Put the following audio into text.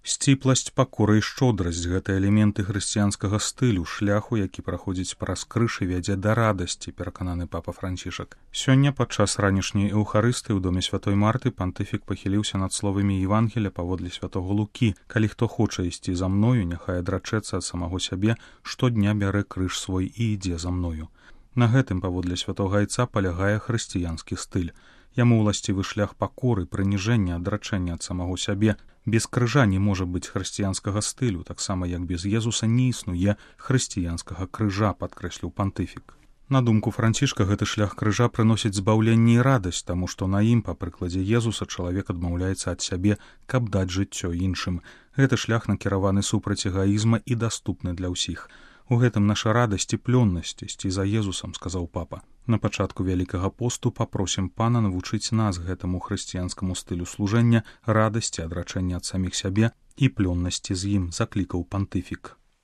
Сціпласць, пакора і шчодрасць – гэта элементы хрысціянскага стылю, шляху, які праходзіць праз крыж і вядзе да радасці, перакананы папа Францішак. Сёння падчас ранішняй эўхарыстыі ў доме святой Марты пантыфік пахіліўся над словамі Евангелія паводле святого Лукі: «Калі хто хоча ісці за мною, няхай адрачэцца ад самого сябе, штодня бярэ крыж свой і ідзе за мною». На гэтым, паводле святога Айца, палягае хрысціянскі стыль. Яму ўласцівы шлях пакоры, прыніжэння, адрачэння ад самого сябе. Без крыжа не можа быць хрысціянскага стылю, таксама як без Езуса не існуе хрысціянскага крыжа, падкрэсліў пантыфік. На думку Францішка, гэты шлях крыжа прыносіць збаўленне і радасць, таму што на ім, па прыкладзе Езуса, чалавек адмаўляецца ад сябе, каб даць жыццё іншым. Гэты шлях накіраваны супраць эгаізма і даступны для ўсіх. У гэтым наша радасць і плённасць ісці за Езусам, сказаў папа. На пачатку Вялікага посту папросім Пана навучыць нас гэтаму хрысціянскаму стылю служэння, радасці, адрачэння ад саміх сябе і плённасці з ім, заклікаў пантыфік.